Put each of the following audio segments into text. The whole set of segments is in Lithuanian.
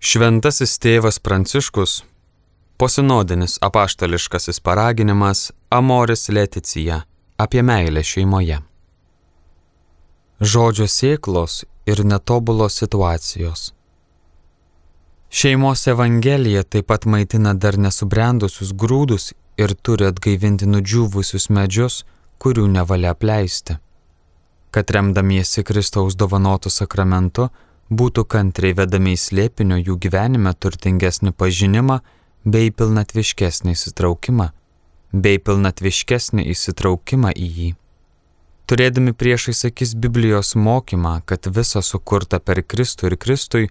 Šventasis tėvas Pranciškus, posinodinis apaštališkasis paraginimas Amoris Laetitia apie meilę šeimoje. Žodžio sėklos ir netobulos situacijos. Šeimos evangelija taip pat maitina dar nesubrendusius grūdus ir turi atgaivinti nudžiūvusius medžius, kurių nevalia apleisti. Kad remdamiesi Kristaus dovanotų sakramentu, būtų kantriai vedami į slėpinio jų gyvenime turtingesnį pažinimą bei pilnatviškesnį įsitraukimą į jį. Turėdami priešais akis Biblijos mokymą, kad visa sukurta per Kristų ir Kristui,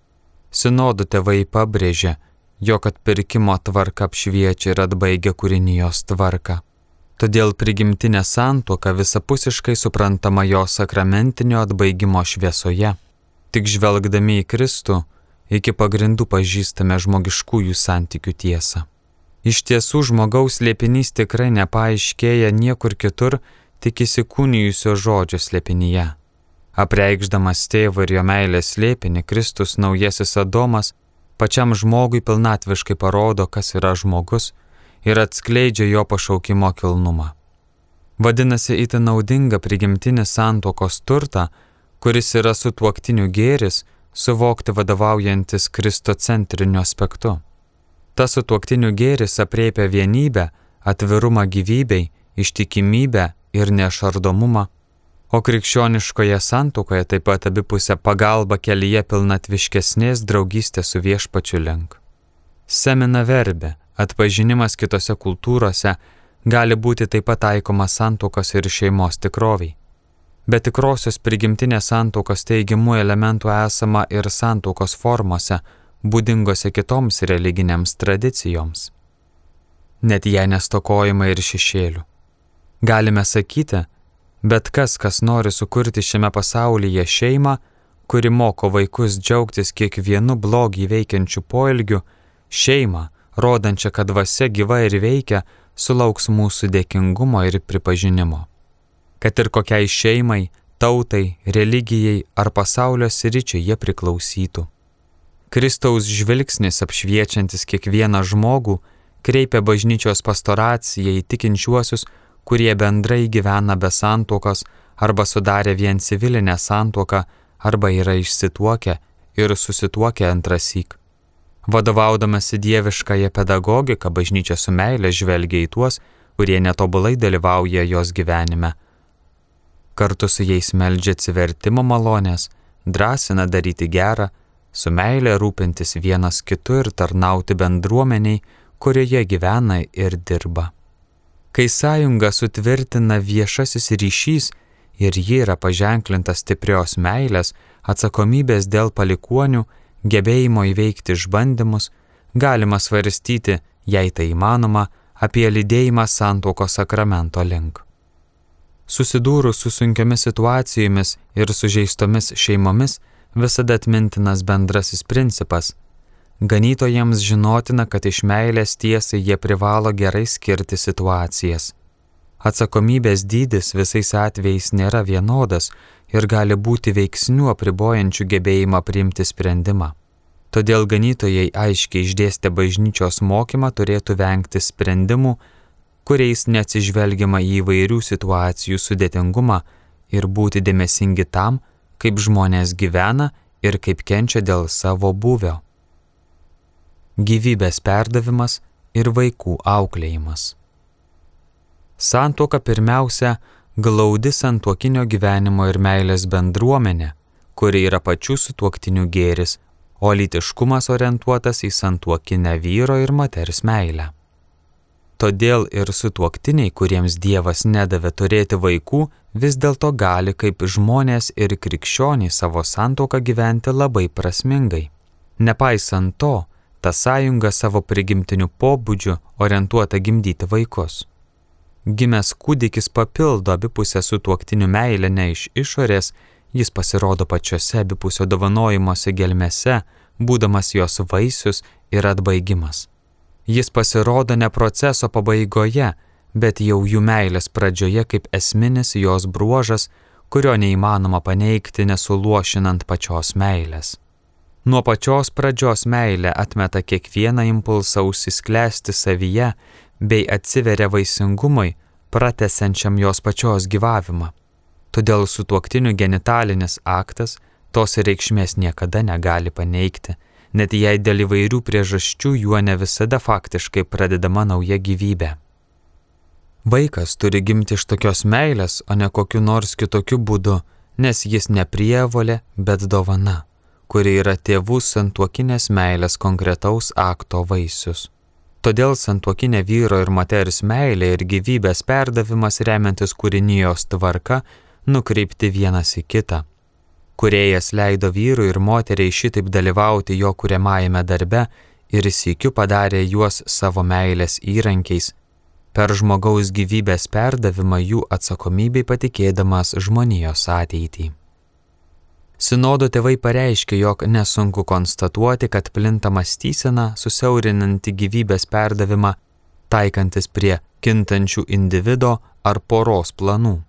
sinodų tėvai pabrėžia, jog atpirkimo tvarka apšviečia ir atbaigia kūrinijos tvarką. Todėl prigimtinė santuoka visapusiškai suprantama jo sakramentinio atbaigimo šviesoje. Tik žvelgdami į Kristų, iki pagrindų pažįstame žmogiškųjų santykių tiesą. Iš tiesų žmogaus slėpinys tikrai nepaaiškėja niekur kitur, tik įsikūnijusio žodžio slėpinyje. Apreikšdamas tėvo ir jo meilės slėpinį, Kristus naujasis Adomas pačiam žmogui pilnatviškai parodo, kas yra žmogus ir atskleidžia jo pašaukimo kilnumą. Vadinasi, itin naudinga prigimtinį santuokos turtą, kuris yra sutuoktinių gėris, suvokti vadovaujantis kristocentriniu aspektu. Tas sutuoktinių gėris apriepia vienybę, atvirumą gyvybei, ištikimybę ir nešardomumą, o krikščioniškoje santuokoje taip pat abipusę pagalbą kelyje pilnatviškesnės draugystės su viešpačiu link. Semina verbė, atpažinimas kitose kultūrose gali būti taip pat taikomas santuokos ir šeimos tikroviai. Bet tikrosios prigimtinės santuokos teigiamų elementų esama ir santuokos formose, būdingose kitoms religinėms tradicijoms. Net jei nestokojama ir šešėlių. Galime sakyti, bet kas nori sukurti šiame pasaulyje šeimą, kuri moko vaikus džiaugtis kiekvienu blogį veikiančiu poelgiu, šeimą, rodančią, kad dvasia gyva ir veikia, sulauks mūsų dėkingumo ir pripažinimo. Kad ir kokiai šeimai, tautai, religijai ar pasaulio sričiai jie priklausytų. Kristaus žvilgsnis apšviečiantis kiekvieną žmogų kreipia bažnyčios pastoraciją į tikinčiuosius, kurie bendrai gyvena be santuokos arba sudarė vien civilinę santuoką arba yra išsituokę ir susituokę antrąsyk. Vadovaudamasi dieviškąją pedagogiką, bažnyčia su meile žvelgia į tuos, kurie netobulai dalyvauja jos gyvenime. Kartu su jais meldžia atsivertimo malonės, drąsina daryti gerą, su meile rūpintis vienas kitu ir tarnauti bendruomeniai, kurioje gyvena ir dirba. Kai sąjunga sutvirtina viešasis ryšys ir ji yra paženklinta stiprios meilės, atsakomybės dėl palikuonių, gebėjimo įveikti išbandymus, galima svarstyti, jei tai įmanoma, apie lydėjimą santuokos sakramento link. Susidūrus su sunkiomis situacijomis ir sužeistomis šeimomis visada atmintinas bendrasis principas. Ganytojams žinotina, kad iš meilės tiesai jie privalo gerai skirti situacijas. Atsakomybės dydis visais atvejais nėra vienodas ir gali būti veiksnių apribojančių gebėjimą priimti sprendimą. Todėl ganytojai aiškiai išdėstę bažnyčios mokymą turėtų vengti sprendimų, kuriais neatsižvelgiama į įvairių situacijų sudėtingumą ir būti dėmesingi tam, kaip žmonės gyvena ir kaip kenčia dėl savo būvio. Gyvybės perdavimas ir vaikų auklėjimas. Santuoka pirmiausia glaudi santuokinio gyvenimo ir meilės bendruomenė, kuri yra pačių sutuoktinių gėris, o lytiškumas orientuotas į santuokinę vyro ir moters meilę. Todėl ir sutuoktiniai, kuriems Dievas nedavė turėti vaikų, vis dėlto gali kaip žmonės ir krikščionys savo santuoką gyventi labai prasmingai. Nepaisant to, ta sąjunga savo prigimtiniu pobūdžiu orientuota gimdyti vaikus. Gimęs kūdikis papildo abipusę sutuoktinių meilę ne iš išorės, jis pasirodo pačiose abipusio dovanojimuose gelmėse, būdamas jos vaisius ir atbaigimas. Jis pasirodo ne proceso pabaigoje, bet jau jų meilės pradžioje kaip esminis jos bruožas, kurio neįmanoma paneigti nesuluošinant pačios meilės. Nuo pačios pradžios meilė atmeta kiekvieną impulsą užsisklęsti savyje bei atsiveria vaisingumui, pratęsiančiam jos pačios gyvavimą. Todėl sutuoktinių genitalinis aktas tos reikšmės niekada negali paneigti, net jei dėl įvairių priežasčių juo ne visada faktiškai pradedama nauja gyvybė. Vaikas turi gimti iš tokios meilės, o ne kokiu nors kitokiu būdu, nes jis ne prievolė, bet dovana, kuri yra tėvų santuokinės meilės konkretaus akto vaisius. Todėl santuokinė vyro ir moters meilė ir gyvybės perdavimas remiantis kūrinijos tvarka nukreipti vienas į kitą. Kūrėjas leido vyrui ir moteriai šitaip dalyvauti jo kuriamajame darbe ir sykiu padarė juos savo meilės įrankiais, per žmogaus gyvybės perdavimą jų atsakomybei patikėdamas žmonijos ateitį. Sinodo tėvai pareiškė, jog nesunku konstatuoti, kad plinta mąstysena susiaurinanti gyvybės perdavimą, taikantis prie kintančių individo ar poros planų.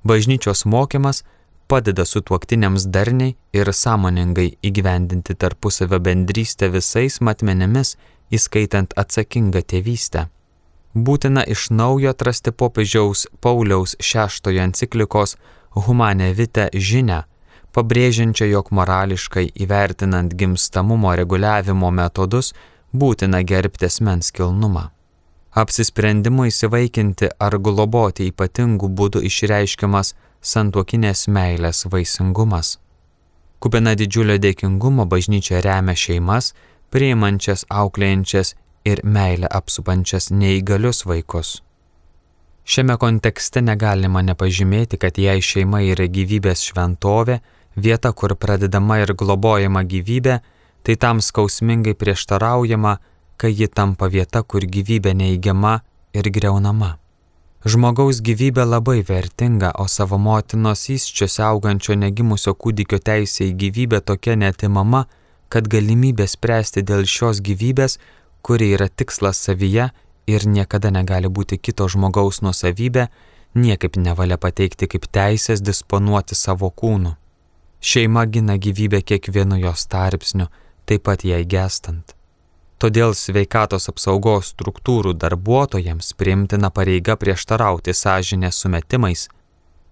Bažnyčios mokymas padeda sutuoktiniams darniai ir sąmoningai įgyvendinti tarpusavio bendrystę visais matmenimis, įskaitant atsakingą tėvystę. Būtina iš naujo atrasti popiežiaus Pauliaus VI enciklikos Humane Vitae žinią, pabrėžiančią, jog morališkai įvertinant gimstamumo reguliavimo metodus būtina gerbti asmens kilnumą. Apsisprendimo įsivaikinti ar globoti ypatingų būdų išreiškiamas santuokinės meilės vaisingumas. Kupina didžiulio dėkingumo bažnyčia remia šeimas, priimančias, auklėjančias ir meilę apsupančias neįgalius vaikus. Šiame kontekste negalima nepažymėti, kad jei šeima yra gyvybės šventovė, vieta, kur pradedama ir globojama gyvybė, tai tam skausmingai prieštaraujama, kai ji tampa vieta, kur gyvybė neigiama ir griaunama. Žmogaus gyvybė labai vertinga, o savo motinos įsčiose augančio negimusio kūdikio teisė į gyvybę tokia neatimama, kad galimybė spręsti dėl šios gyvybės, kuri yra tikslas savyje ir niekada negali būti kito žmogaus nuosavybė, niekaip nevalia pateikti kaip teisės disponuoti savo kūnu. Šeima gina gyvybę kiekvienu jos tarpsniu, taip pat jai gestant. Todėl sveikatos apsaugos struktūrų darbuotojams priimtina pareiga prieštarauti sąžinės sumetimais.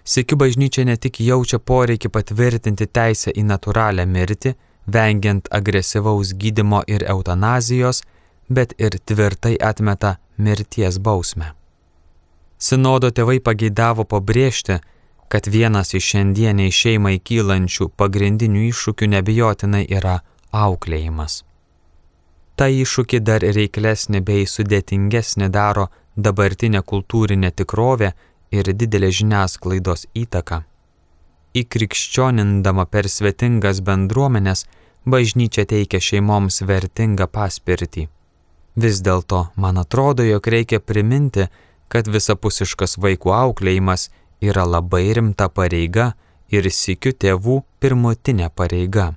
Sykiu bažnyčia ne tik jaučia poreikį patvirtinti teisę į natūralią mirtį, vengiant agresyvaus gydymo ir eutanazijos, bet ir tvirtai atmeta mirties bausmę. Sinodo tėvai pageidavo pabrėžti, kad vienas iš šiandieniai šeimai kylančių pagrindinių iššūkių neabejotinai yra auklėjimas. Ta iššūkį dar reiklesnė bei sudėtingesnė daro dabartinė kultūrinė tikrovė ir didelė žiniasklaidos įtaka. Įkrikščionindama per svetingas bendruomenes, bažnyčia teikia šeimoms vertingą paspirtį. Vis dėlto, man atrodo, jog reikia priminti, kad visapusiškas vaikų auklėjimas yra labai rimta pareiga ir sykiu tėvų pirmutinė pareiga.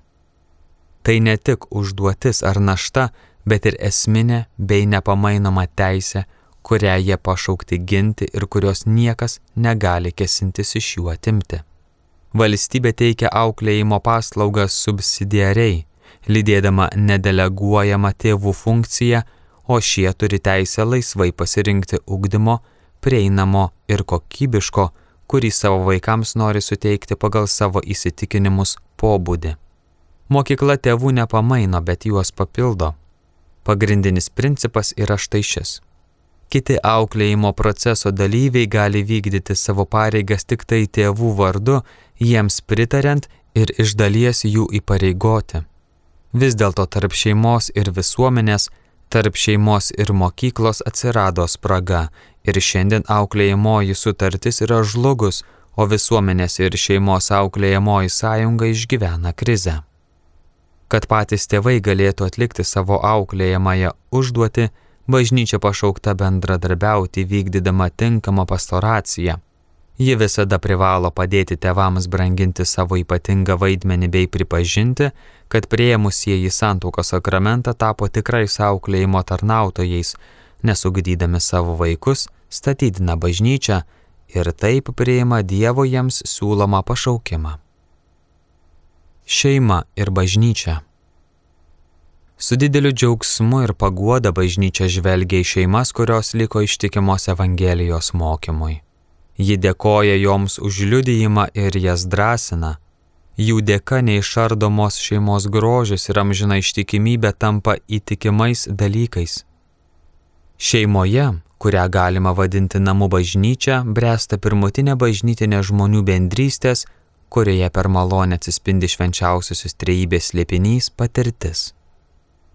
Tai ne tik užduotis ar našta, bet ir esminė bei nepamainoma teisė, kurią jie pašaukti ginti ir kurios niekas negali kėsintis iš jų atimti. Valstybė teikia auklėjimo paslaugas subsidiariai, lydėdama nedeleguojamą tėvų funkciją, o šie turi teisę laisvai pasirinkti ugdymo, prieinamo ir kokybiško, kurį savo vaikams nori suteikti pagal savo įsitikinimus pobūdį. Mokykla tėvų nepamaino, bet juos papildo. Pagrindinis principas yra štai šis. Kiti auklėjimo proceso dalyviai gali vykdyti savo pareigas tik tai tėvų vardu, jiems pritariant ir iš dalies jų įpareigoti. Vis dėlto tarp šeimos ir visuomenės, tarp šeimos ir mokyklos atsirado spraga ir šiandien auklėjamoji sutartis yra žlugus, o visuomenės ir šeimos auklėjamoji sąjunga išgyvena krizę. Kad patys tėvai galėtų atlikti savo auklėjamąją užduotį, bažnyčia pašaukta bendradarbiauti vykdydama tinkamą pastoraciją. Ji visada privalo padėti tėvams branginti savo ypatingą vaidmenį bei pripažinti, kad priėmusieji santuokos sakramentą tapo tikrais auklėjimo tarnautojais, nesugdydami savo vaikus, statydina bažnyčią ir taip priima Dievo jiems siūlomą pašaukimą. Šeima ir bažnyčia. Su dideliu džiaugsmu ir paguoda bažnyčia žvelgia į šeimas, kurios liko ištikimos Evangelijos mokymui. Ji dėkoja joms už liudijimą ir jas drąsina. Jų dėka neišardomos šeimos grožis ir amžina ištikimybė tampa įtikimais dalykais. Šeimoje, kurią galima vadinti namų bažnyčia, bręsta pirmutinė bažnytinė žmonių bendrystės, kurioje per malonę atsispindi švenčiausiosios trejybės slėpinys patirtis.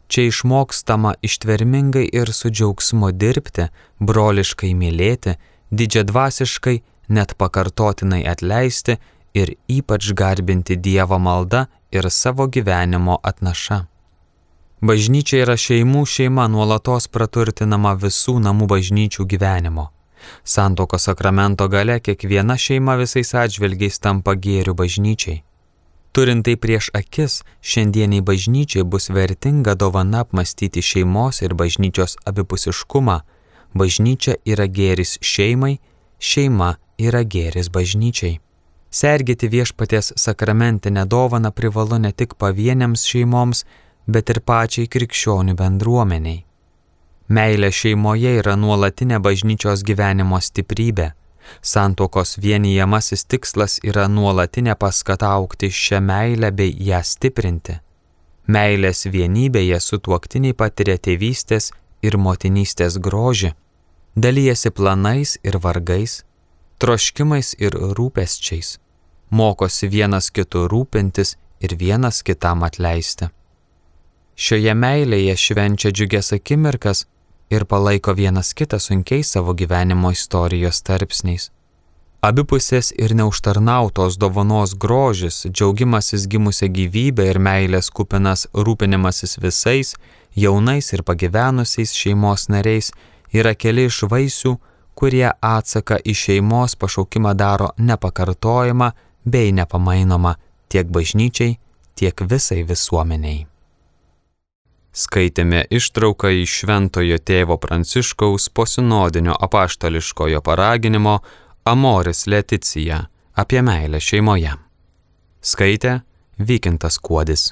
Čia išmokstama ištvermingai ir su džiaugsmu dirbti, broliškai mylėti, didžiadvasiškai, net pakartotinai atleisti ir ypač garbinti Dievą malda ir savo gyvenimo atnaša. Bažnyčia yra šeimų šeima, nuolatos praturtinama visų namų bažnyčių gyvenimo. Santuokos sakramento gale kiekviena šeima visais atžvilgiais tampa gėriu bažnyčiai. Turint tai prieš akis, šiandieniai bažnyčiai bus vertinga dovana apmąstyti šeimos ir bažnyčios abipusiškumą. Bažnyčia yra gėris šeimai, šeima yra gėris bažnyčiai. Sergėti viešpaties sakramentinę dovaną privalu ne tik pavieniams šeimoms, bet ir pačiai krikščionių bendruomeniai. Meilė šeimoje yra nuolatinė bažnyčios gyvenimo stiprybė. Santuokos vienijamasis tikslas yra nuolatinė paskata augti šią meilę bei ją stiprinti. Meilės vienybėje sutuoktiniai patiria tėvystės ir motinystės grožį, dalijasi planais ir vargais, troškimais ir rūpesčiais, mokosi vienas kitu rūpintis ir vienas kitam atleisti. Šioje meilėje švenčia džiugias akimirkas ir palaiko vienas kitą sunkiais savo gyvenimo istorijos tarpsniais. Abipusės ir neužtarnautos dovanos grožis, džiaugimasis gimusią gyvybę ir meilės kupinas rūpinimasis visais, jaunais ir pagyvenusiais šeimos nariais yra keli iš vaisių, kurie atsaką į šeimos pašaukimą daro nepakartojamą bei nepamainomą tiek bažnyčiai, tiek visai visuomeniai. Skaitėme ištrauką iš Šventojo tėvo Pranciškaus posinodinio apaštališkojo paraginimo Amoris Laetitia apie meilę šeimoje. Skaitė Vykintas Kuodis.